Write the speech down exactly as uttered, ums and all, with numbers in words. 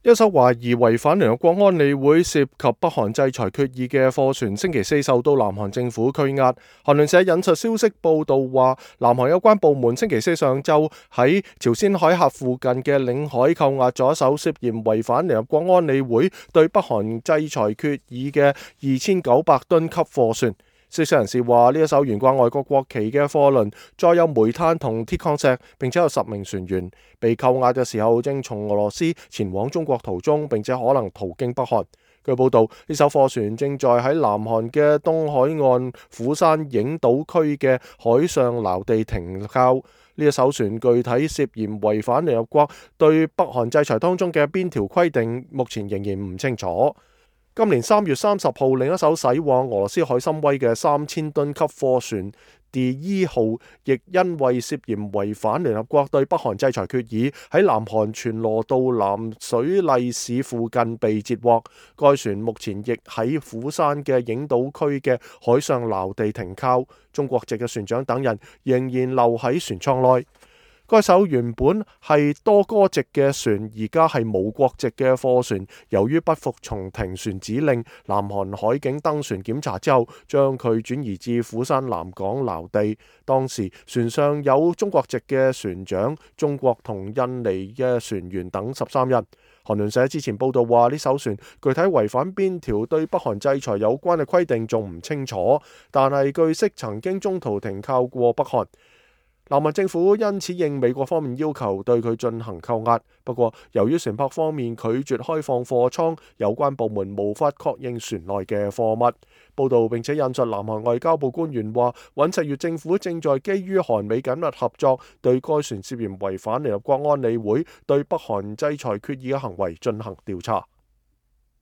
一艘懷疑違反聯合國安理會涉及北韓制裁決議嘅貨船，星期四受到南韓政府拘押。韓聯社引述消息報道話，南韓有關部門星期四上晝喺朝鮮海峽附近嘅領海扣押咗一艘涉嫌違反聯合國安理會對北韓制裁決議嘅二千九百噸級貨船。消息人士話，呢一艘懸掛外國國旗嘅貨輪載有煤炭同鐵礦石，並且有十名船員。被扣押嘅時候正從俄羅斯前往中國途中，並且可能途經北韓。據報道，呢艘貨船正在喺南韓嘅東海岸釜山影島區嘅海上撈地停靠。呢一艘船具體涉嫌違反聯合國對北韓制裁當中嘅邊條規定，目前仍然唔清楚。今年三月三十號，另一艘駛往俄羅斯海參崴嘅三千噸級貨船第一號，亦因為涉嫌違反聯合國對北韓制裁決議，喺南韓全羅道南水麗市附近被截獲。該船目前亦喺釜山嘅影島區嘅海上撈地停靠，中國籍嘅船長等人仍然留喺船艙內。該艘原本係多哥籍嘅船，而家係無國籍嘅貨船。由於不服從停船指令，南韓海警登船檢查之後，將佢轉移至釜山南港撈地。當時船上有中國籍嘅船長、中國同印尼嘅船員等十三人。韓聯社之前報道話，呢艘船具體違反邊條對北韓制裁有關嘅規定仲唔清楚，但係據悉曾經中途停靠過北韓。南韓政府因此應美國方面要求對佢進行扣押，不過由於船舶方面拒絕開放貨艙，有關部門無法確認船內嘅貨物。報道並且引述南韓外交部官員話，尹錫悅政府正在基於韓美緊密合作，對該船涉嫌違反聯合國安理會對北韓制裁決議嘅行為進行調查。